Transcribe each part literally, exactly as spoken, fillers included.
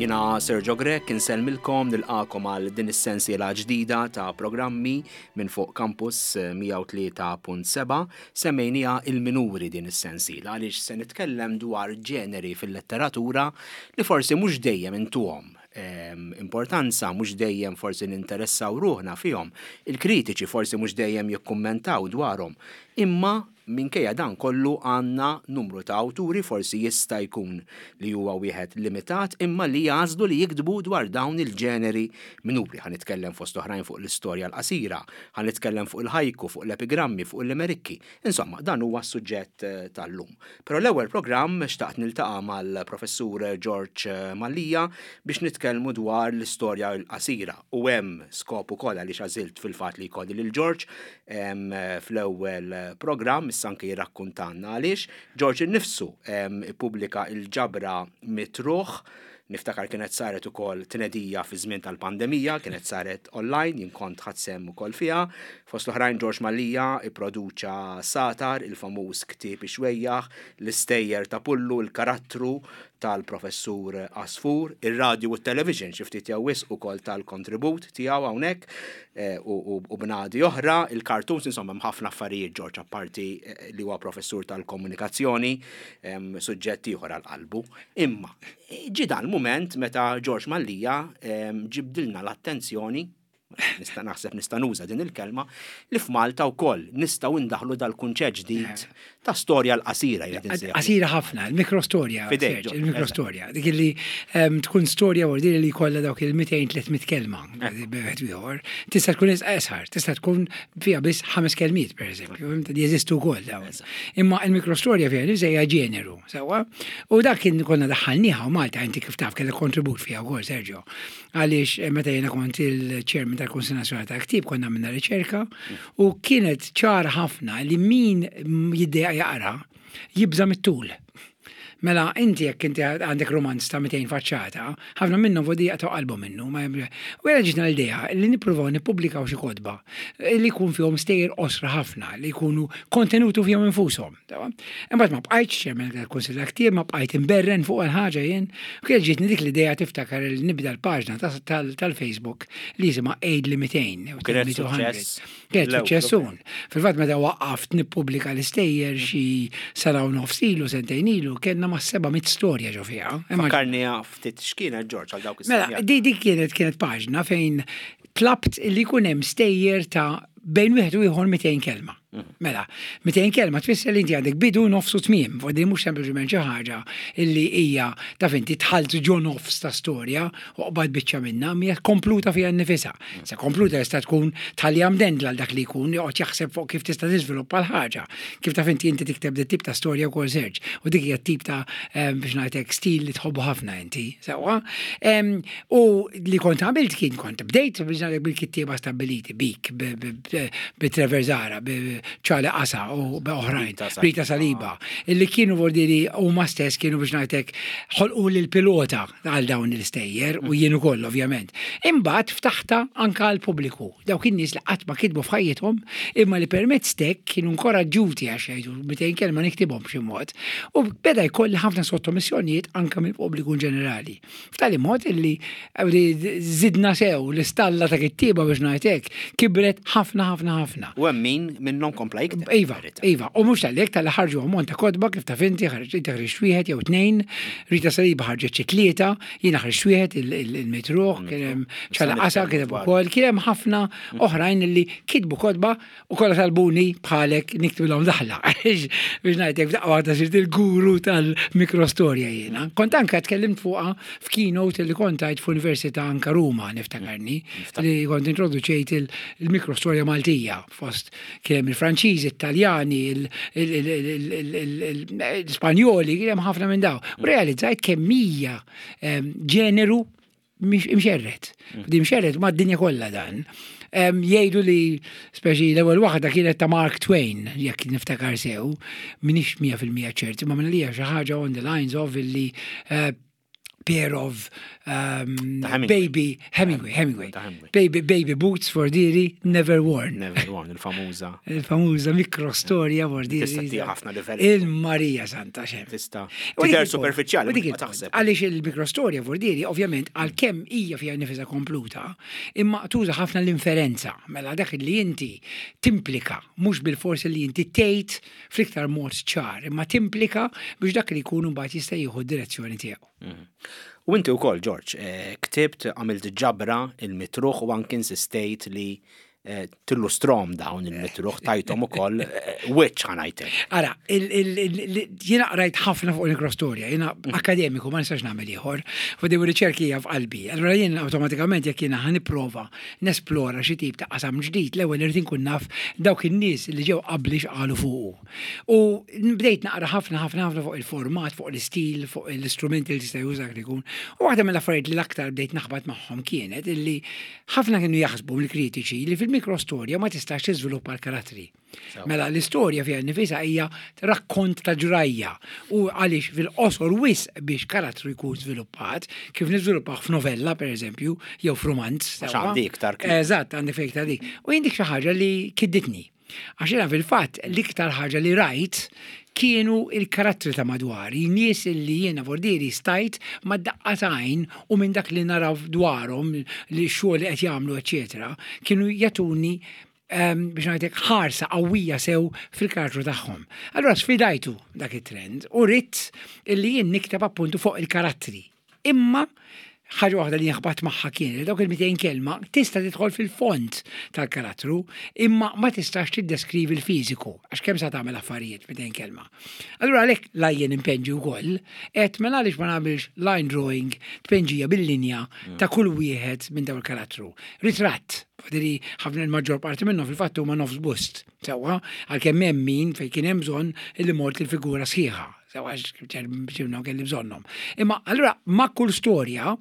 Jiena Sergio Grech, insellmilkom, nilqagħkom għal din is-sensiela ġdida ta' programmi minn fuq Campus mija u tlieta punt seba'. Semmejnieha il-minuri din is-sensiela għaliex se nitkellem dwar ġeneri fil-letteratura li forsi mhux dejjem intuhom importanza, mhux dejjem forsi ninteressaw ruħna fihom. Il-kritiċi forsi mhux dejjem jikkummentaw dwarhom. Imma minkejja dan kollu għandna numru ta' awturi, forsi jista' jkun li huwa wieħed limitat, imma li jagħżlu li jiktbu dwar dawn il-ġeneri minuri. Ħa nitkellem fost oħrajn fuq l-istorja l-qasira, ħa nitkellem fuq il-ħajku, fuq l-epigrammi, fuq il-limerikki. Insomma, dan huwa s-suġġett eh, tal-lum. Però l-ewwel programm xtaqt niltaqa' mal-professur George Mallia biex nitkellmu dwar l-istorja l-qasira u hemm skop ukoll għaliex għażilt fil-fatt li jkolli lil George fl-ewwel programm, issa anke jirrakkuntanna għaliex. George innifsu ippubblika il-ġabra Mitt Ruħ. Niftakar kienet saret ukoll tnedija fi żmien tal-pandemija, kienet saret online, jien kont ħadt sehem ukoll fiha. Fost l-oħrajn George Mallia ipproduċa Satar, il-famuż ktieb ixwejjaħ, l-istejjer ta' Pullu, il-karattru tal-professur Asfur, ir-radio u t-television xi ftit jew wisq ukoll tal-kontribut tiegħu hawnhekk eh, u bnadi oħra, il-cartoons, insomma hemm ħafna affarijiet George, apparti eh, li huwa professur tal-komunikazzjoni, suġġett ieħor għal qalbu. Imma ġi dan mument meta George Mallia ġibdilna l-attenzjoni, nista' naħseb nista' nuża din il-kelma, li f'Malta wkoll nistgħu ndaħlu dal-kunċett ġdid ta' storja l-qasira. Qasira ħafna, il-mikrostorja. Il-mikrostorja. Dik li tkun storja u li kollha dawk il-mitejn tliet mitt kelma. Ieħor. Tista' tkun iqsar, tista' tkun fiha biss ħames kelmiet, per eżempju, li jeżistu wkoll dawn. Imma il-mikrostorja fiha nifsha ġeneru, sewwa? U dak kien konna daħħalnieha u Malta, inti kif taf kellek kontribut fiha wkoll, Sergio. Għaliex eh, meta jiena kont il-chairman tal-Kunsill Nazzjonali tal-Ktieb konna minna riċerka u kienet ċara ħafna li min jiddejjaq jaqra jibża mit-tul. Mela, inti jekk inti għandek romanz ta' mitejn faċċata, ħafna minnhom vodi jaqtgħu qalbu minnu. U jena ġitna l-idea li nippruvaw nippubblikaw xi kotba li jkun fihom stejjer qosra ħafna, li jkunu kontenutu fihom infushom. Imbagħad ma bqajtx chairman tal-Kunsill Ktieb, ma bqajt imberren fuq il-ħaġa jien. U kienet ġietni dik l-idea, tiftakar, li nibda l-paġna tal-Facebook li jisimha Għidli mitejn. Kienet suċċess. Kienet suċċessun. Fil-fatt meta waqqaft nippubblika l-istejjer xi sena u nofs ilu, sentejn ilu, kellna ma' seba' mitt storja ġo fiha. Fakkarni ftit x'kienet, George, għal dawk. Mela, di di kienet kienet paġna fejn tlabt li jkun hemm stejjer ta' bejn wieħed u ieħor mitejn kelma. Mhm. Mela, mitejn kelma tfisser li inti għandek bidu, nofs u tmiem, u mhux sempliċement xi ħaġa illi hija taf inti dħalt ġo nofs ta' storja u qbad biċċa minnha, hija kompluta fiha nnifisha. Mhm. Se kompluta jista' tkun tħalli mdendla għal dak li jkun joqgħod jaħseb fuq kif tista' tiżviluppa l-ħaġa. Kif taf inti inti tikteb dit tip ta' storja wkoll, Serġ. U dik hija tip ta' biex ngħidlek stil li tħobbu ħafna inti, sewwa. U li kont għamilt kien kont bdejt biex ngħidlek bil-kittieba stabbiliti bik, bi Trevor Zahra, Charlie Qasa u oħrajn, Rita Saliba, illi kienu vordiri huma stess kienu biex ngħidlek ħolqu l-pilota għal dawn l-istejjer u jien ukoll ovvjament. Imbagħad ftaħta anka għal pubbliku, dawk in-nies li qatt ma kitbu f'ħajjithom imma li permezz tek kienu inkoraġġuti għax jgħidu mitejn kelma niktibhom b'xi mod. U beda jkolli ħafna sottomissjonijiet anka mill-pubbliku in ġenerali. F'tali mod illi zidna sew l-istalla ta' kittieba, biex ngħidlek, kibret ħafna ħafna ħafna. U hemm min minnhom kompla jikteb. Iva, iva, u mhux tal-lek tal ħarġu ammont ta' kotba, kif taf inti, ħarġ inti ħriġt wieħed jew tnejn, Rita Saliba ħarġet xi tlieta, jiena ħriġt wieħed, il-Mitt Ruħ, kien hemm Charlie Qasa kiteb ukoll, kien hemm ħafna oħrajn li kitbu kotba u kollha talbuni bħalek niktibilhom daħla. Biex ngħidlek, f'daqqa waħda sirt il-guru tal-mikrostorja jiena. Kont anka tkellimt fuqha f'keynote li kont għidt f'Università anka Ruma, niftakarni, li kont introduċejt il-mikrostorja Maltija fost kien hemm il-Franċiżi, Italjani, l-Spanjoli, kien hemm ħafna minn daw. U realizzajt kemm hija ġeneru imxerred. Di mxerred ma' d-dinja kollha dan. Jgħidu li speċi l-ewwel waħda kienet ta' Mark Twain, jekk niftakar sew, minix mija fil-mija ċerti, ma minn li xi ħaġa on the lines of illi eh, pair of um, Ta' Hemingway. baby Hemingway, Hemingway. Ta' Hemingway. Baby, baby boots for diri never worn. Never worn, il-famuża. Il-famuża mikrostorja for diri. Tista' tija ħafna livelli. Il-Marija Santa xem. Tista' U dik tidher il-punt. superfiċjali, U dik ma il-punt. taħseb. Għaliex il-mikrostorja for diri, ovvjament, għalkemm hija fiha nifisha kompluta, imma tuża ħafna l-inferenza. Mela dak li inti timplika, mhux bil-forsi li inti tgħid fl-iktar mod ċar, imma timplika biex dak li jkun mbagħad jista' jieħu d-direzzjoni tiegħu. U inti wkoll, George, eh, ktibt, għamilt ġabra il-mitruħ u anki insistejt li eh, tillustrom dawn il-mitruħ tajtom ukoll eh, wiċċ ħa ngħidlek. Ara, il- il- il- jiena qrajt ħafna fuq il-mikrostorja, jiena akademiku ma nistax nagħmel ieħor, fuq di riċerki hija f'qalbi. Allura jien awtomatikament jekk jiena ħa nipprova nesplora xi tip ta' qasam ġdid, l-ewwel irid inkun naf dawk in-nies li ġew qabli x'qalu fuqu. U bdejt naqra ħafna ħafna ħafna fuq il-format, fuq l-istil, fuq l-istrumenti li tista' juża li jkun. U waħda mill-affarijiet li l-aktar bdejt naħbat magħhom kienet illi ħafna kienu jaħsbu mill-kritiċi li fil-mikrostorja ma tistax tiżviluppa l-karattri. Mela l-istorja fiha nifisha hija rakkont ta' ġrajja u għaliex fil-qosor wisq biex karattru jkun żviluppat, kif niżviluppaw f'novella per eżempju, jew f'romanz. Għax sewwa. għandi iktar kliem. Eżatt, għandi fejn iktar dik. U jien dik xi ħaġa li kidditni. Għax jiena fil-fatt l-iktar ħaġa li rajt kienu il-karattri ta' madwari, nies li jiena vordiri stajt ma' daqqa t'għajn u minn dak li naraw dwarhom li xogħol li qed jagħmlu, eċetera, kienu jagħtuni um, biex ngħidlek ħarsa qawwija sew fil-karattru tagħhom. Allura sfidajtu dak it-trend u ridt illi jien nikteb appuntu fuq il-karattri. Imma ħaġa waħda li nħabat magħha kien li dawk il-mitejn kelma tista' tidħol fil-fond tal-karattru imma ma tistax tiddeskrivi l-fiżiku għax kemm sa tagħmel affarijiet mitejn kelma. Allura għalhekk la jien impenġi wkoll, qed mela għaliex ma nagħmilx line drawing tpenġija bil-linja ta' kull wieħed minn dawn il-karattru. Ritratt, Fadiri ħafna il-maġġor parti minnhom fil-fatt huma nofs bust. Sewwa, għalkemm hemm min fejn kien hemm bżonn illi mort il-figura sħiħa. Sewwa ġibna kelli bżonnhom. Imma allura ma' kull storja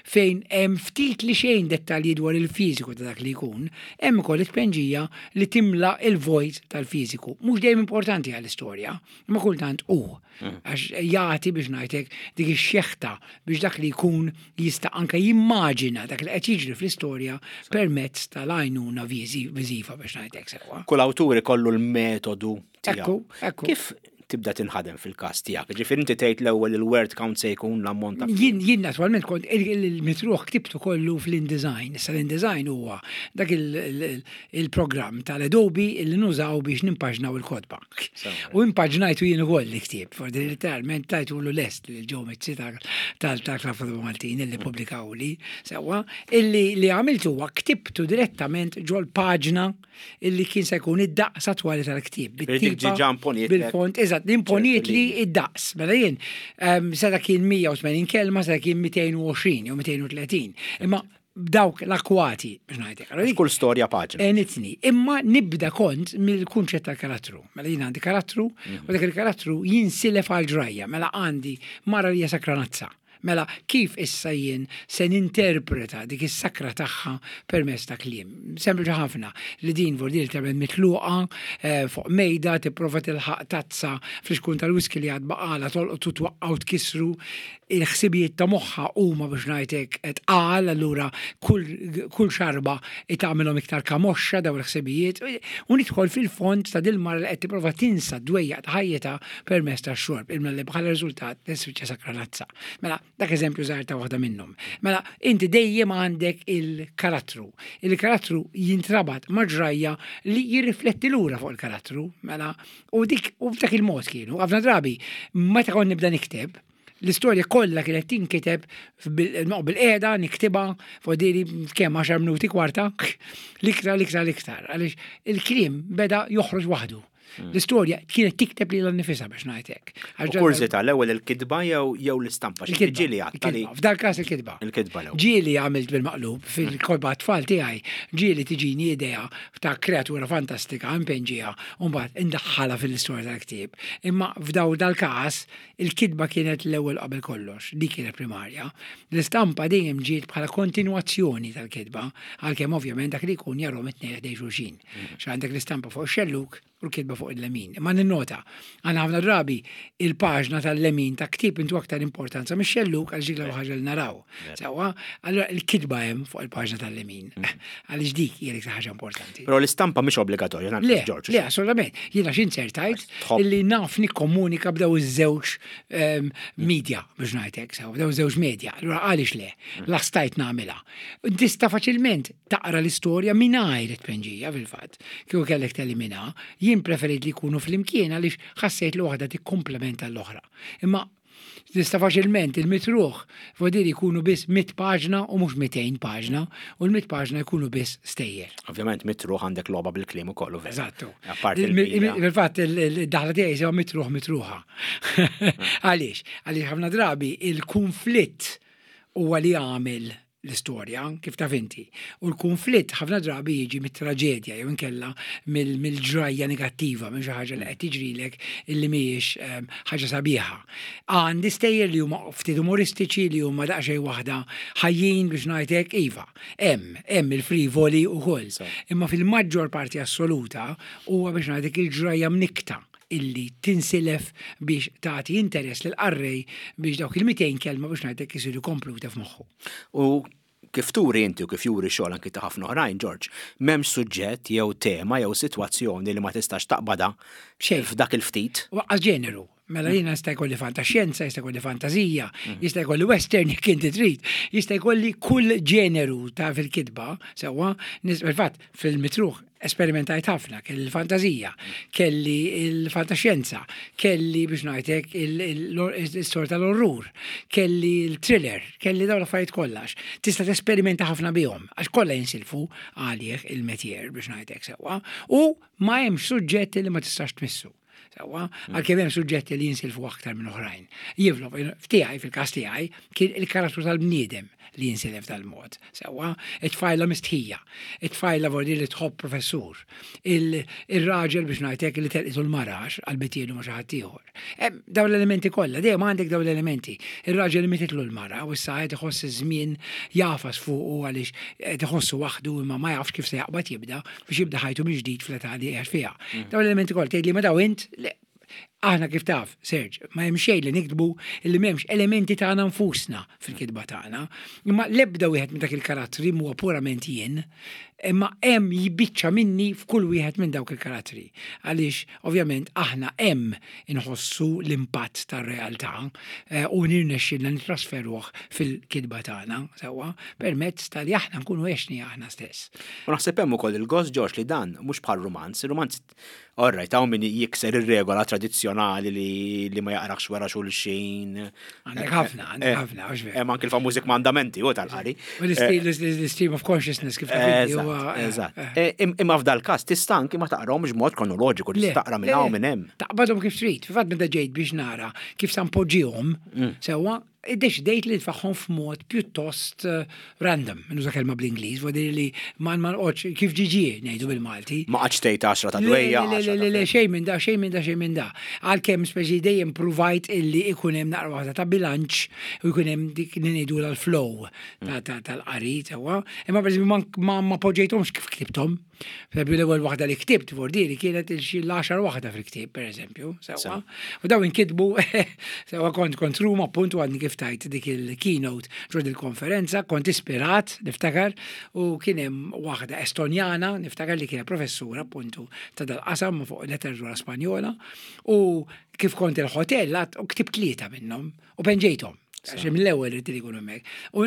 fejn hemm ftit li xejn dettalji dwar il-fiżiku ta' dak li jkun, hemm ukoll it-tpenġija li timla il-vojt tal-fiżiku. Mhux dejjem importanti għall-istorja, imma kultant hu. Għax jagħti biex ngħidlek dik ix-xeħta biex dak li jkun jista' anke jimmaġina dak li qed jiġri fl-istorja permezz tal-għajnuna viżiva biex ngħidlek sewwa. Kull awtur ikollu l-metodu tiegħu. Ekku, ekku. Kif tibda tinħadem fil-każ tiegħek? Ġifieri inti tgħid l-ewwel il-word count se jkun l-ammont ta' Jien, jien naturalment kont il-mitruħ ktibtu kollu fl-InDesign. Issa l-InDesign huwa dak il-programm tal-Adobe li nużaw biex nimpaġnaw il-kotba. U impaġnajtu jien ukoll li ktieb, for literalment tajtu l lest li ġew Mizzi tal-Klabb Maltin illi publikaw li, sewwa, illi li għamiltu huwa ktibtu direttament ġol paġna illi kien se jkun id-daqs attwali tal-ktieb. Dik ġiġa imponiet. Bil-font, eżatt, imponiet li id-daqs. Mela jien, seta kien mija u tmenin kelma, seta kien mitejn u għoxrin jew mitejn u tletin. Imma dawk l-akwati, biex ngħidlek. Allora dik Kull storja paġna. Enitni, imma nibda kont mill-kunċett tal-karattru. Mela jien għandi karattru, u dak il-karattru jinsilef għal ġrajja. Mela għandi mara li hija sakranazza. Mela kif issa jien se ninterpreta dik is-sakra tagħha permezz ta' kliem? Sempliċi ħafna li din vordil tagħmel mitluqa eh, fuq mejda tipprova tilħaq tazza fl-xkun tal-whisky li għad baqala tolqtu twaqqgħu tkissru, il-ħsibijiet ta' moħħa huma biex ngħidlek tqal, allura kull, kull xarba tagħmilhom iktar kamoxxa daw il-ħsibijiet u nidħol fil-fond ta' dil-mara li qed tipprova tinsa d-dwejjaq ta' ħajjitha permezz tax-xorb imma li bħala riżultat tispiċċa sakranazza. Mela dak eżempju żgħar ta' waħda minnhom. Mela inti dejjem għandek il-karattru. Il-karattru jintrabat ma' ġrajja li jirrifletti lura fuq il-karattru. Mela u dik u b'dak il-mod kienu. Ħafna drabi meta kont nibda nikteb, l-istorja kollha kienet tinkiteb bil-qiegħda niktibha fuq diri kemm għaxar minuti, kwarta, l-iktar, l-iktar, l-iktar, għaliex il-kliem beda joħroġ waħdu. L-istorja kienet tikteb lilha nnifisha biex ngħidlek. U kurżità, l-ewwel il-kitba jew jew l-istampa? Xi Il-kitba. Ġieli għatta li Il-kitba. F'dal każ il-kitba. Il-kitba l-ewwel. Ġieli għamilt bil-maqlub fil-kotba tfal tiegħi, ġieli tiġini idea ta' kreatura fantastika impenġija u mbagħad indaħħalha fil-istorja tal-ktieb. Imma f'daw dal-każ il-kitba kienet l-ewwel qabel kollox, dik kienet primarja. L-istampa dejjem ġiet bħala kontinwazzjoni tal-kitba, għalkemm ovvjament dak li jkun jarahom it-tnejn ħdejn xulxin. X'għandek l-istampa fuq xelluk, u l-kitba fuq il-lemin. Ma ninnota, għana ħafna drabi il-paġna tal-lemin ta' ktib intu aktar importanza mix-xellug għal ġik ħaġa li naraw. Sewwa, allura il-kitba hemm fuq il-paġna tal-lemin. Għaliex dik hija l-iktar ħaġa importanti. Però l-istampa mhix obbligatorja, Le, le, assolutament. Jiena x'inzertajt illi naf nikkomunika b'daw iż-żewġ ehm, media biex ngħidlek, sew, b'daw iż-żewġ media. Allura għaliex le, la stajt nagħmilha. Tista' faċilment taqra l-istorja mingħajr it-tpenġija fil-fatt. Kieku kellek telimina, jien preferit li jkunu flimkien għaliex ħassejt li waħda tikkomplementa l-oħra. Imma tista' faċilment il-mitruħ vodir jkunu biss mitt paġna u mhux mitejn paġna u l-mitt paġna jkunu biss stejjer. Ovvjament mitruħ għandek logħba bil-kliem ukoll. Eżattu. Fil-fatt il-daħla tiegħi sewa mitruħ mitruħa. Għaliex? Għaliex ħafna drabi il-konflitt huwa li għamil l-istorja, kif taf inti. U l-konflitt ħafna drabi jiġi mit-traġedja jew inkella mill-ġrajja negattiva, minn xi ħaġa li qed tiġrilek illi mhijiex ehm, ħaġa sabiħa. Għandi stejjer li huma ftit umoristiċi li huma daqsxejn waħda ħajjin biex ngħidlek iva. Hemm, hemm il-frivoli ukoll. Imma fil-maġġor parti assoluta huwa biex ngħidlek il-ġrajja mnikta illi tinsilef biex tagħti interess lil qarrej biex dawk il-mitejn kelma biex ngħidlek isiru kompluta f'moħħu. U kif turi inti u kif juri xogħol anki ta' ħafna oħrajn, George, m'hemmx suġġett jew tema jew sitwazzjoni li ma tistax taqbada f'dak il-ftit. Waqqas ġeneru. Mela jiena jista' jkolli fantaxjenza, jista' jkolli fantażija, jista' jkolli western jekk inti trid, jista' jkolli kull ġeneru ta' fil-kitba, sewwa, fil-fatt fil-mitruħ esperimentajt ħafna, kelli l-fantażija, kelli il-fantaxjenza, kelli biex ngħidlek il-istorja tal-orrur, kelli il-thriller, kelli dawn l-affarijiet kollax. Tista' tesperimenta ħafna bihom, għax kollha jinsilfu għalih il-metjer biex ngħidlek sewwa, u ma hemmx suġġetti li ma tistax tmissu. Sewwa, għalkemm hemm suġġetti li jinsilfu aktar minn oħrajn. Jivlo, f'tiegħi, fil-każ tiegħi, kien il-karattru tal-bniedem li jinsilef tal-mod. Sewwa, it-tfajla mistħija, it-tfajla vordi li tħobb professur, il-raġel biex ngħidlek li telqitu l-marax għal-bitielu ma xi ħadd ieħor. Dawn l-elementi kollha, dejjem għandek dawn l-elementi. Ir-raġel li mititlu l-mara u issa qed iħoss iż-żmien jafas fuqu għaliex qed iħossu waħdu imma ma jafx kif se jaqbad jibda biex jibda ħajtu minn ġdid fl-età li qiegħed fiha. Dawn l-elementi kollha tgħid li ma daw int, aħna kif taf, Serge, ma hemm xejn li niktbu li m'hemmx elementi tagħna nfusna fil-kitba tagħna. Imma l-ebda wieħed minn dak il-karattri huwa purament jien, imma hemm jibiċċa minni f'kull wieħed minn dawk il-karattri. Għaliex ovvjament aħna hemm inħossu l-impatt tar-realtà eh, u nirnexxilna nitrasferuh fil-kitba tagħna sewwa permezz tal-li aħna nkunu għexni aħna stess. U naħseb hemm ukoll il-gost George li dan mhux bħal rumanz, il-rumanz Alright, hawn min jikser ir-regola tradizzjonali li, li ma jaqrax wara xulxin. Għandek ħafna, għandek eh, ħafna, għax vera. Hemm anke l-famużi kmandamenti u tal-qari. U l-stream of consciousness kif taf inti huwa, eh, Eżatt. eh. Eh, im- Imma f'dal każ tista' anki ma taqrahomx b'mod kronoloġiku, Le, tista' taqra minn le, hawn minn hemm. Taqbadhom kif trid. Fil-fatt meta ġejt biex nara kif sa npoġġihom, Mm. sewwa, iddeċidejt li nfaħħom f'mod pjuttost eh, random, nuża kelma bl-Ingliż, vuol li ma ma nqgħodx kif ġiġi ngħidu bil-Malti. Ma qgħadx tgħid għaxra ta' Le, dwejja. le, le, għaxra le, le, ta' xejn minn da, xejn minn da, xejn minn da. Għalkemm speċi dejjem provajt illi ikun hemm naqra waħda ta' bilanċ u jkun hemm dik li ngħidu l-flow ta' ta' tal-qari sewwa. Imma pereżempju ma, ma, ma poġġejthomx kif ktibthom. Per l-ewwel waħda li ktibt vordiri kienet il-xi l-għaxar waħda fil-ktieb, pereżempju, sewwa. U daw inkitbu sewwa kont kont Ruma appuntu għadni kif tajt dik il-keynote ġo il-konferenza, kont ispirat, niftakar, u kien hemm waħda Estonjana, niftakar li kienet professura appuntu ta' dal-qasam fuq letteratura Spanjola, u kif kont il-hotel, u ktibt tlieta minnhom u penġejthom. Għax mill-ewwel irid li jkunu hemmhekk. U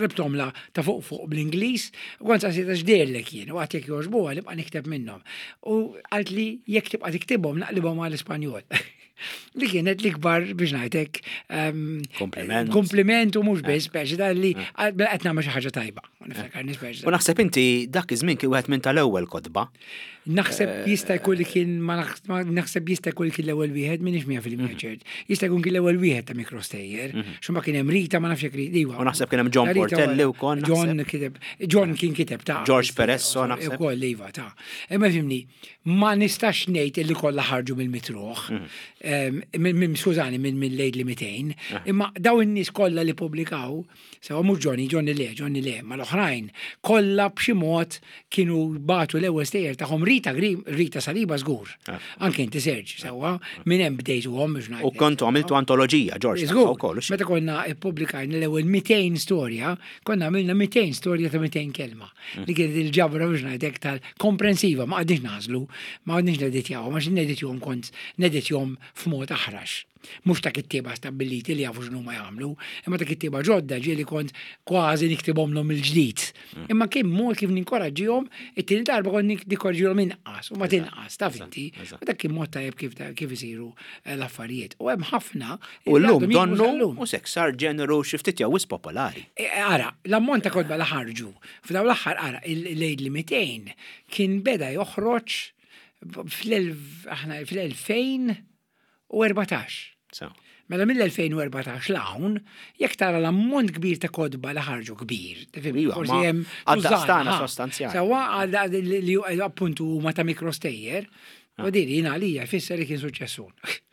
rebtom la ta' fuq fuq bl-Ingliż, u kont saqsejtha x'deherlek jien, u għedt jekk jogħġbuha nibqa' nikteb minnhom. U qalt li jekk tibqa' tiktibhom naqlibhom għall-Ispanjol. Li kienet l-ikbar biex ngħidlek ehm, Kompliment. Kompliment u mhux biss speċi da li mela qed nagħmel xi ħaġa tajba. U niftakar nispeċi. U naħseb inti dak iż-żmien kien wieħed minn tal-ewwel kotba. Naħseb jista' jkun li kien ma naħs- ma naħseb jista' jkun li kien l-ewwel wieħed m'iniex mija fil-mija ċert. Jista' jkun kien l-ewwel wieħed ta' mikrostejjer. Xumma kien hemm Rita ma nafx jekk Rita. Iva. U naħseb kien hemm John Rita Portelli wara. wkoll, John naħseb. kiteb John kien kiteb ta' George Peresso, naħseb. Ukoll iva ta'. Imma fimni, ma nistax ngħid illi kollha ħarġu mill-mitruħ. Em, minn- minn- Skużani, minn minn Lejt li mitejn. Imma daw in-nies kollha li publikaw, sewa mhux Johnny, Johnny le, Johnny le, ma l-oħrajn L-oħrajn kollha b'xi mod kienu bagħtu l-ewwel stejjer tagħhom. Rita Grim, Rita Saliba żgur. Ah. Anke inti, Serġ, sewwa, minn hemm bdejtuhom biex ngħidlek. U kontu għamiltu antoloġija, George, Żgur, ukoll. Meta konna ippubblikajna l-ewwel mitejn storja, konna għamilna mitejn storja ta' mitejn kelma. Mm. Li kienet il-ġabra, biex ngħidlek, tal-komprensiva, ma qgħadniex nagħżlu, ma qgħadniex neditjaw, ma neditjahom, kont neditjahom f'mod aħrax. Mhux ta' kittieba stabbiliti li jafu x'inhu ma jagħmlu, imma ta' kittieba ġodda ġieli kont kważi niktibhomlhom il-ġdid. Mm. Imma kien mod kif ninkoraġġihom, it-tieni darba kont ninkoraġġihom inqas u ma tinqas, taf inti. Eżatt. U dak kien mod tajjeb kif kif isiru eh, l-affarijiet. U hemm ħafna U li l-lum għadhom jikbu donnu sal-lum. u sek sar ġeneru xi ftit jew wisq popolari. E, Ara, l-ammont ta' kotba li ħarġu f'daw l-aħħar, ara, il-lejd li mitejn kien beda joħroġ fl-elf aħna fl-elfejn u erbatax. So. Mela mill-elfejn u erbatax 'l hawn, jekk tara l-ammont kbir ta' kotba li ħarġu kbir, tifhem, Iva, forsi ma hemm għad-daqstana tużżana, ha. sostanzjali. Sewwa, għal li li appuntu huma ta' mikrostejjer, u din jien għalija jfisser li kien suċċessun.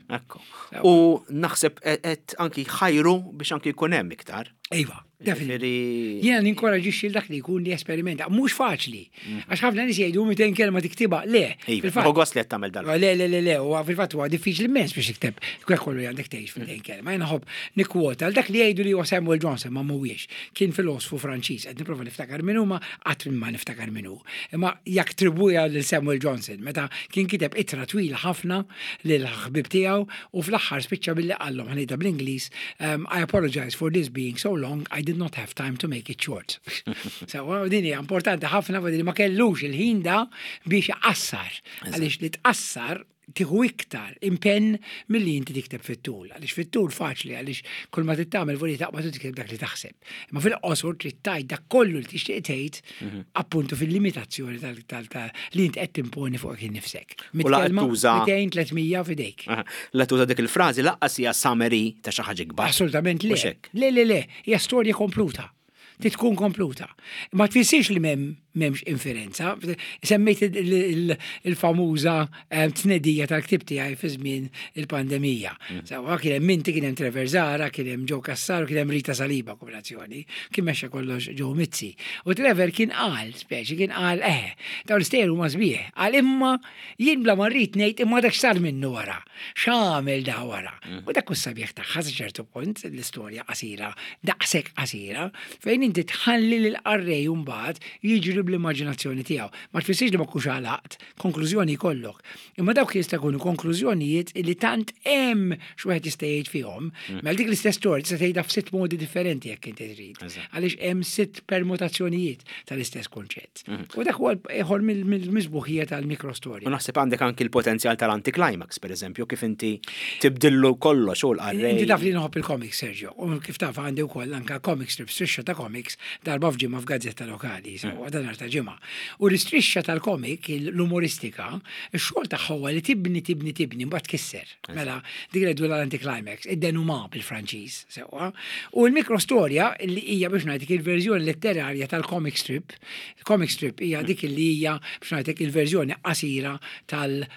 Ekku. U naħseb qed anki ħajru biex anki jkun hemm iktar. Iva, definitely. Ġifieri- Jiena ninkoraġixxi dak li jkun li esperimenta. Mhux faċli. Għax ħafna nies jgħidu mitejn kelma tiktibha. Le, Iva, fil-fatt. hu gost li qed tagħmel dal. Le, le, le, le, huwa fil-fatt huwa diffiċli immens biex tikteb kwek kollu li għandek tgħix f'mitejn kelma. Jiena nħobb nikkwota għal dak li jgħidu li huwa Samuel Johnson, ma mhuwiex. Kien filosfu Franċiż, qed nipprova niftakar min huma, qatt ma niftakar min hu. Imma jattribwija lil Samuel Johnson meta kien kiteb ittra twila ħafna lil ħbib tiegħu u fl-aħħar spiċċa billi qallhom, ħa ngħidha bl-Ingliż, um, "I apologize for this being so long, I did not have time to make it short." So, din hija importanti ħafna, li ma kellux il-ħin da biex iqassar. Għaliex li tqassar tieħu iktar impenn milli inti tikteb fit-tul. Għaliex fit-tul faċli, għaliex kull ma tittamel voli taqbad u tikteb dak li taħseb. Imma fil-qosor trid tgħid dak kollu li tixtieq tgħid, appuntu fil-limitazzjoni tal- tal- tal- li inti qed timponi fuq innifsek. U la qed tuża- mitejn, tliet mija f'idejk. Aha. La tuża dik il-frażi lanqas hija summary ta' xi ħaġa kbar. Assolutament le. Mhux hekk. Le, le, le, hija storja kompluta. Trid tkun kompluta. Ma tfissirx li m'hemm m'hemmx inferenza. Semmejt il- il- il-famuża eh, tnedija tal-ktib tiegħi fi żmien il-pandemija. Sewwa, kien hemm minti, kien hemm Trevor Zara, kien hemm Joe Cassar, kien hemm Rita Saliba kombinazzjoni. Kien mexxa kollox Joe Mizzi. U Trevor kien qal, speċi kien qal, eh, dawn l-istejjer huma sbieħ. Qal imma jien bla ma rrid ngħid imma dak x'sar minnu wara. X'għamel da wara? U dak sabiħ tagħha sa ċertu punt l-istorja qasira, daqshekk qasira, fejn inti tħalli lil qarrej mbagħad jiġri bl-immaġinazzjoni tiegħu. Ma tfissirx li ma kux għalaqt, konklużjoni jkollok. Imma dawk jista' jkunu konklużjonijiet li tant hemm x'wieħed jista' jgħid fihom. Mela dik l-istess storja tista' tgħidha f'sitt modi differenti jekk inti trid. Eżatt. Għaliex hemm sitt permutazzjonijiet tal-istess konċett. U dak huwa ieħor mill-misbuħija tal-mikrostorja. U naħseb għandek anki l-potenzjal tal-anticlimax, per eżempju, kif inti tibdillu kollox u l-qarrej. Inti taf li nħobb il-comics, Sergio, u kif taf għandi wkoll anka comic strips, strisċa ta' comics, darba f'ġimgħa f'gazzetta lokali, sewwa, dan ta' ġimgħa. U l-istrixxa tal-comic, l-umoristika, ix-xogħol tagħha huwa li tibni, tibni, tibni, mbagħad tkisser. Mela, dik li l-anticlimax, id-dénouement bil-Franċiż, sewwa. U l-mikrostorja li hija, biex ngħidlek, il-verżjoni letterarja tal-comic strip, comic strip hija dik li hija, biex ngħidlek, il-verżjoni qasira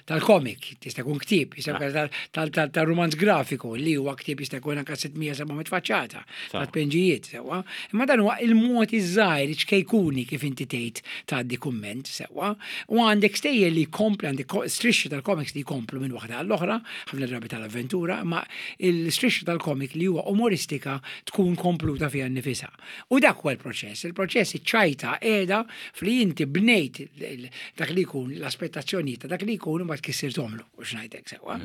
tal-comic, tista' jkun ktieb, jista' jkun tal-romanz grafiku li huwa ktieb, jista' jkun anke sitt mija seba' mitt faċċata ta' tpenġijiet, sewwa. Imma dan huwa il-mod iż-żgħir ċkejkuni kif inti tgħid tgħaddi kumment, sewwa. U għandek stejjer li jkompli, għandek strixxi tal-comics li jkomplu minn waħda għall-oħra, ħafna drabi tal-avventura, ma il-strixxi tal-comic li huwa umoristika tkun kompluta fiha nnifisha. U dak huwa l-proċess. Il-proċess, iċ-ċajta qiegħda fli inti bnejt dak li jkun, l-aspettazzjoni ta' dak li jkun, u ma tkissirthomlu, u x'ngħidlek, sewwa.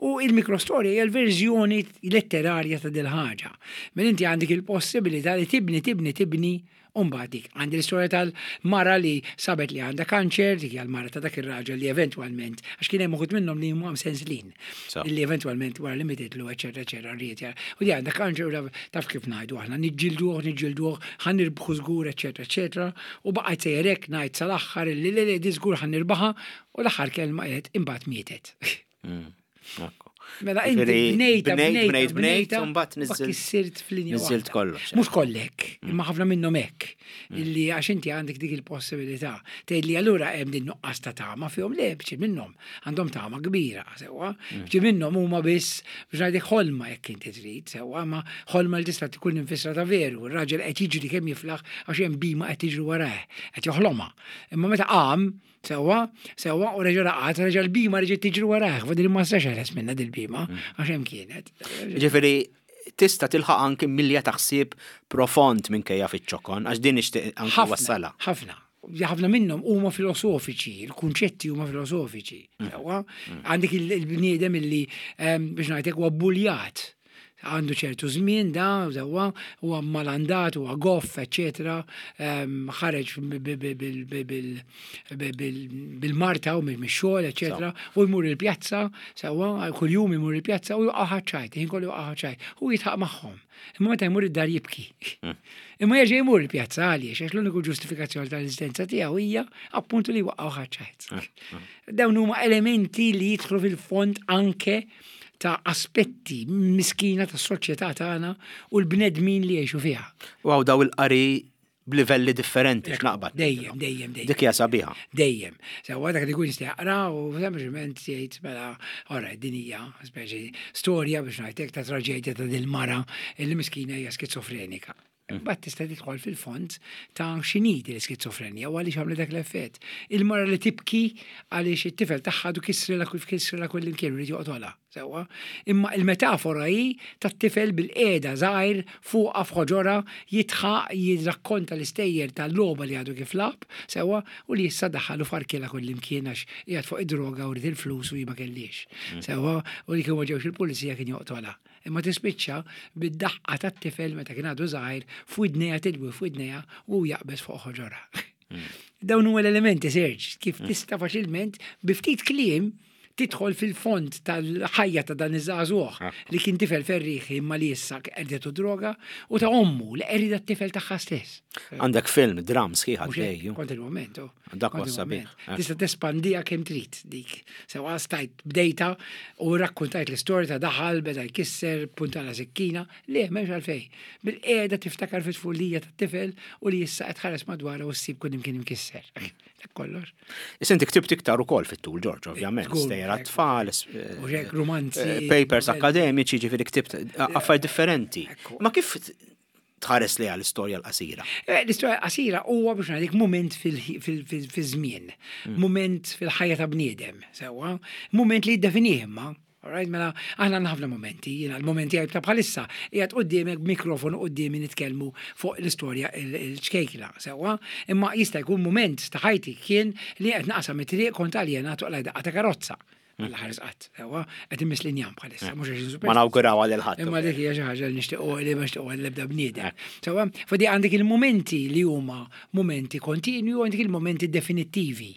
U il-mikrostorja hija l-verżjoni letterarja ta' dil-ħaġa. Minn inti għandek il-possibilità li tibni, tibni, tibni. Umbagħad dik, għandi l-istorja tal-mara li sabet li għandha kanċer, dik hija l-mara ta' dak ir-raġel li eventwalment, għax kien hemm uħud minnhom li huma senslin, li eventwalment wara li mititlu, eċetera, eċetera, rrid. U di għandha kanċer u taf kif ngħidu aħna, niġġilduh, niġġilduh, ħa nirbħu żgur, eċetera, eċetera, u baqgħet sejrek ngħid sal-aħħar li li li di żgur ħa nirbaħha, u l-aħħar kelma qed imbagħad mietet. Mm, Mela inti bnejta, bnejt, bnejt, bnejt, u mbagħad niżilt. Kissirt f'linja. Niżilt kollox. Mhux kollek, imma ħafna minnhom hekk. Illi għax inti għandek dik il-possibilità. Tgħid li allura hemm din nuqqas ta' tama fihom, le, bċi minnhom għandhom tama kbira, sewwa. Bċi minnhom huma biss biex ngħidlek ħolma jekk inti trid, sewwa, ma ħolma li tista' tkun infissra ta' veru. Ir-raġel qed jiġri kemm jiflaħ għax hemm bhima qed tiġri warah, qed joħlomha. Imma meta qam, sewwa, sewwa, u reġa' raqad, reġa' l-bhima reġgħet tiġri warah, fadil ma setax jeħles minnha dil-bhima, għax hemm kienet. Ġifieri tista' tilħaq anki milja ta' ħsieb profond minkejja fiċ-ċokon, għax din nixtieq anki wassalha. Ħafna. Ħafna minnhom huma filosofiċi, il-kunċetti huma filosofiċi. Sewwa, għandek il-bniedem illi biex ngħidlek huwa buljat. Għandu ċertu żmien da, sewwa, huwa malandat, huwa goff, eċetera, ħareġ bil-marta u mix-xogħol, eċetera, u jmur il-pjazza, sewwa, kuljum imur il-pjazza u juqa' ċajt, ħin kollu juqa' ċajt, u jidħaq magħhom. Imma meta jmur id-dar jibki. Imma jerġa' jmur il-pjazza għaliex, għax l-uniku ġustifikazzjoni tal-eżistenza tiegħu hija appuntu li waqgħu ċajt. Dawn huma elementi li jidħlu fil-fond anke ta' aspetti miskina ta' soċjetà tagħna u l-bnedmin li jgħixu fiha. U hawn daw il-qari b'livelli differenti x'naqbad. Dejjem, dejjem, dejjem. Dik hija sabiħa. Dejjem. Sewwa, dak li jkun jista' jaqra u sempliċement jgħid mela ora din hija speċi storja biex ngħidlek ta' traġedja ta' dil-mara illi miskina hija skizofrenika. Mbagħad tista' tidħol fil-fond ta' x'inhi l-iskizofrenja u għaliex għamlet dak l-effett. Il-mara li tibki għaliex it-tifel tagħha du kissrilha kull kissrilha kull imkien irid joqtolha. Sewwa. Imma il-metafora hi tat-tifel bil-qiegħda żgħir fuqha f'ħoġorha jidħaq jirrakkonta l-istejjer tal-logħba li għadu kif lagħab, sewwa, u li issa daħħalu farkilha kull imkien għax qiegħed fuq id-droga u rid il-flus u hi ma kellix. Sewwa, u li kien ma ġewx il-pulizija kien joqtolha. Imma tispiċċa bid-daħqa tat-tifel meta kien għadu żgħir f'widnejha tilwi f'widnejha u jaqbeż fuq ħoġorha. Dawn huma l-elementi, Serge, kif tista' faċilment bi ftit kliem tidħol fil-fond tal-ħajja ta' dan iż-żagħżugħ li kien tifel ferriħi imma li issa qerdetu droga u ta' ommu li qerida t-tifel tagħha stess. Għandek film, dram sħiħ Mhux hekk, għaddej. Kontinwament, oh. Dak huwa Kontinwament. sabiħ. Tista' tespandija kemm trid dik. Sewwa stajt bdejta u rakkontajt l-istorja ta' daħal, beda jkisser, puntala sikkina, le m'hemmx għalfejn. Bil-qiegħda tiftakar fit-tfulija tat-tifel u li issa qed tħares madwarha u ssib kull imkien imkisser. Dak kollox. Issa inti ktibt iktar ukoll fit-tul, George, ovvjament. Żgur, Stejjer hekk. għat-tfal, U hekk romanzi. eh, papers akademiċi, ġifieri ktibt affarijiet differenti. Ekku. Ma kif tħares li għall-istorja l-qasira? Eh, L-istorja qasira huwa biex ngħidik moment fil-żmien, moment fil-ħajja ta' bniedem, sewwa, moment li jiddefinih imma. Alright, mela, aħna għandna ħafna momenti, jiena l-momenti għaj ta' bħalissa, qiegħed qudiemek b'mikrofonu quddiemi nitkellmu fuq l-istorja il-ċkejkla, sewwa, imma jista' jkun moment ta' ħajti kien li qed naqsam it-triq kont aljenat u daqqa ta' karozza. Alla ħares qatt, sewwa, qed immiss l-injam bħalissa, mhux għax Ma nawguraw għal il-ħadd. Imma dik hija xi ħaġa li nixtiequ li ma nixtiequ għall-ebda bniedem. Sewwa, fadi għandek il-momenti li huma momenti kontinwi u għandek il-momenti definittivi.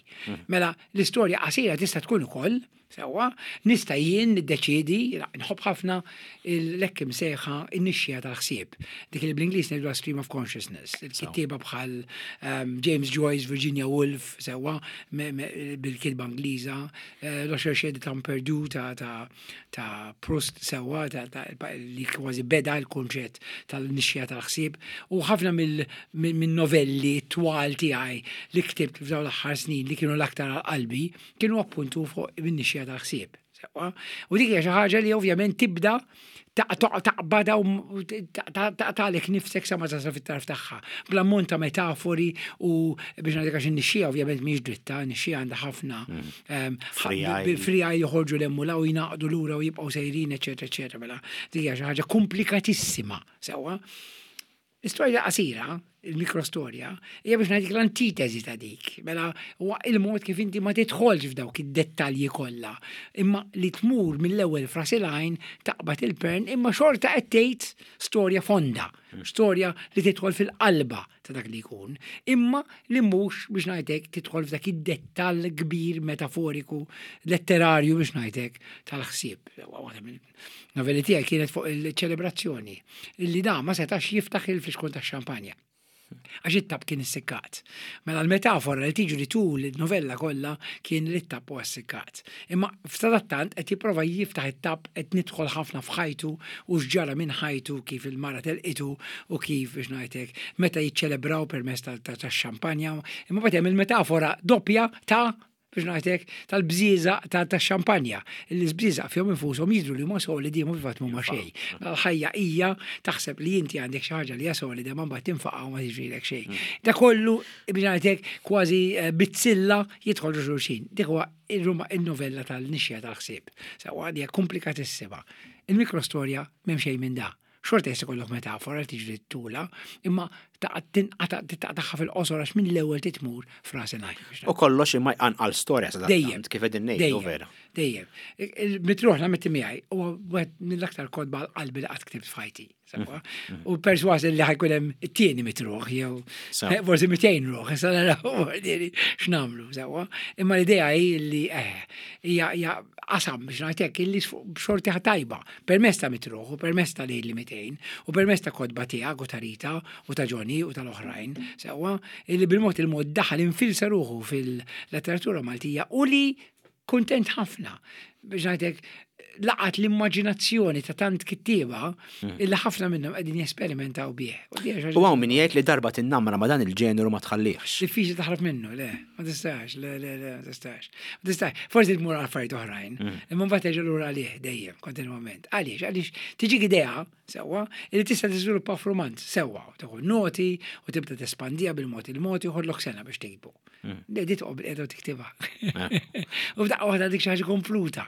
Mela, l-istorja qasira tista' tkun ukoll, sewwa, nista' jien niddeċiedi, nħobb ħafna l-hekk imsejħa in-nixxija tal-ħsieb. Dik li bl-Ingliż ngħidu stream of consciousness. Il-kittieba bħal um, James Joyce, Virginia Woolf, sewwa, me- me- bil-kitba Ingliża, eh, Le Chercheur du Temps Perdu ta' ta' ta' Proust sewwa, ta' ta' li kważi beda l-kunċett tal-nixxija tal-ħsieb u ħafna mill- minn minn novelli twal tiegħi li ktibt f'dawn l-aħħar snin li kienu l-aktar għal qalbi kienu appuntu fuq min-nixxija tal-ħsieb. Sewwa. U dik hija xi ħaġa li ovvjament tibda taqbada u taqtalek nifsek sa ma tasal fit-tarf tagħha. Bl-ammont ta' metafori u biex ngħidlek għax in-nixxija ovvjament mhix dritta, nixxija għandha ħafna ehm, Frijaj. bil-frijaj joħorġu l-emmula u jingħaqdu lura u jibqgħu sejrin, eċetera, eċetera. Mela, dik hija xi ħaġa komplikatissima, sewwa. L-istorja qasira, il-mikrostorja, hija biex ngħidik l-antitesi ta' dik. Mela, huwa il-mod kif inti ma tidħolx f'dawk id-dettalji kollha, imma li tmur mill-ewwel f'ras il-għajn taqbad il-pern, imma xorta qed tgħid storja fonda, storja li tidħol fil-qalba ta' dak li jkun, imma li mhux biex ngħidlek tidħol f'dak id-dettall kbir metaforiku, letterarju biex ngħidlek tal-ħsieb. Waħda mill-novelli tiegħi kienet fuq il-ċelebrazzjoni, illi da ma setax jiftaħ il-flixkun tax-xampanja. Għax it-tapp kien issikkat. Mela l-metafora li tiġri tul il-novella kollha kien li t-tapp huwa ssikkat. Imma f'sadattant qed jipprova jiftaħ it-tapp, qed nidħol ħafna f'ħajtu u x'ġara minn ħajtu, kif il-mara telqitu u kif, biex ngħidlek, meta jiċċelebraw permezz tax-xampanja. Imma bagħad hemm il-metafora doppja ta', biex ngħidlek, tal-bżieżaq ta' xampanja. Il-bżieżaq fihom infushom jidhru li huma solidi, ma fil-fatt mhuma xejn. L-ħajja hija taħseb li inti għandek xi ħaġa li hija solida, ma mbagħad tinfaqa' u ma tiġrilek xejn. Da kollu, biex ngħidlek, kważi eh, bizzilla jidħol xulxin. Dik huwa il-novella tal-nixja tal-ħsieb. Sewwa, hija komplikatissima. Il-mikrostorja m'hemm xejn minn da. Xorta jista' jkollok metafora li tiġri tula, imma taqtagħha fil-qosor għax minn l-ewwel titmur f'ras il-għajn. U kollox imma jqanqal storja sa Dejjem. Kif qegħdin ngħidu, Dejjem. vera. Dejjem. Il-Mitruħ nammetti miegħi huwa wieħed mill-aktar kotba għal qalbi li qatt ktibt f'ħajti. Sewwa? U perswas li ħa jkun hemm it-tieni Mitruħ jew Sew. forsi mitejn ruħ, issa naraw diri x'nagħmlu, sewwa. Imma l-idea hi li eh, hija hija qasam, biex ngħidlek, illi b'xorti tajba, permezz ta' Mitruħ u permezz ta' Lejli mitejn u permezz ta' kotba tiegħek u ta' Rita u ta' Johnny u tal-oħrajn, sewwa, illi bil-mod il-mod daħal infilsa ruħu fil-letteratura Maltija u li kontent ħafna, biex ngħidlek, laqat l-immaġinazzjoni ta' tant kittieba illi ħafna minnhom qegħdin jesperimentaw bih. U di hija xi U hawn min jgħid li darba tinnamra ma dan il-ġeneru ma tħallihx. Diffiċli taħrab minnu, le, ma tistax, le, le, le, ma tistax. Ma tistax, forsi tmur għal affarijiet oħrajn, imma mbagħad terġa' lura għalih dejjem, kontinwament. Għaliex? Għaliex tiġik idea, sewwa, li tista' tiżviluppa f'rumanz, sewwa, u tieħu noti u tibda tespandija bil-mod il-mod, joħodlok sena biex tiktbu. Le, di toqgħod bil-qiegħda u tiktibha. U f'daqqa waħda dik xi ħaġa kompluta.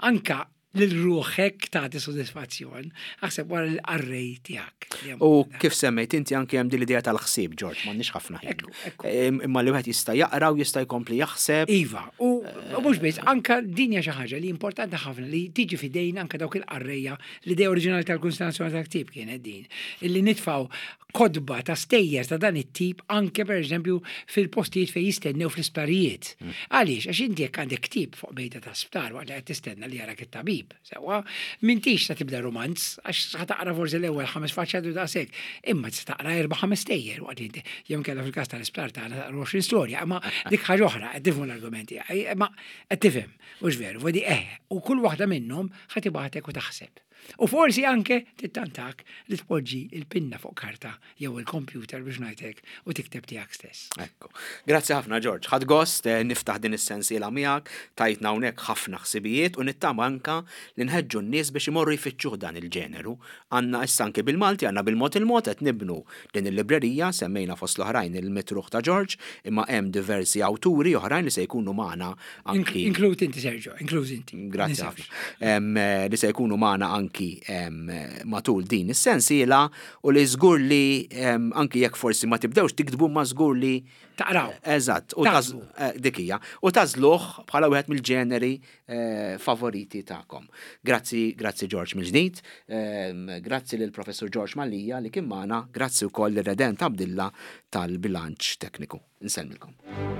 Anka lil ruħek tagħti sodisfazzjon, aħseb wara l-qarrej tiegħek. U kif semmejt inti, anke hemm din l-idea tal-ħsieb, George, m'għandniex ħafna ħin. Ekku, ekku. Im- Imma li wieħed jista' jaqra u jista' jkompli jaħseb. Iva, u u mhux biss, anka din hija xi ħaġa li importanti ħafna li tiġi fidejn anka dawk il-qarrejja. L-idea oriġinali tal-Kunsill tal-Ktieb kienet din, illi nitfaw kotba ta' stejjer ta' dan it-tip anke, per eżempju, fil-postijiet fejn jistennew fl-isptarijiet. Għaliex? Għax inti jekk għandek ktieb fuq mejda ta' sptar waqt li qed tistenna li jarak it-tabib, sewwa, m'intix ta' tibda romanz għax ħa taqra forsi l-ewwel ħames faċċati u daqshekk, imma tista' taqra erba' ħames stejjer waqt li inti, jew inkella fil-każ tal-isptar tagħna taqra għoxrin storja, imma dik ħaġa oħra, qed tifhmu l-argumenti, imma qed tifhem, mhux veru, vodi eh, u kull waħda minnhom ħa tibgħatek u taħseb. U forsi anke tittantak li tpoġġi il-pinna fuq karta jew il-computer, biex ngħidlek, u tikteb tiegħek stess. Ekku. Grazzi ħafna, George. Ħadt gost eh, niftaħ din is-sensiela miegħek, tajtna hawnhekk ħafna ħsibijiet u nittama anka li nħeġġu n-nies biex imorru jfittxuh dan il-ġeneru. Għandna issa anke bil-Malti, għandna bil-mod il-mod qed nibnu din il-librerija, semmejna fost l-oħrajn il-Mitruħ ta' George, imma hemm diversi awturi oħrajn li se jkunu magħna anki. Inkluż inti, Sergio, inkluż inti. Grazzi Ninsewx. ħafna. Em, eh, Li se jkunu magħna anki em, matul din is-sensiela u li żgur li em, anki jekk forsi ma tibdewx tiktbu, ma żgur li Taqraw. Eżatt, u taz, Taħsbu. eh, dik hija. U tagħżluh bħala wieħed mill-ġeneri eh, favoriti tagħkom. Grazzi, grazzi George mill-ġdid, em, grazzi lil Professur George Mallia li kien magħna, grazzi wkoll lir Redent Abdilla tal-bilanċ tekniku. Insellmilkom.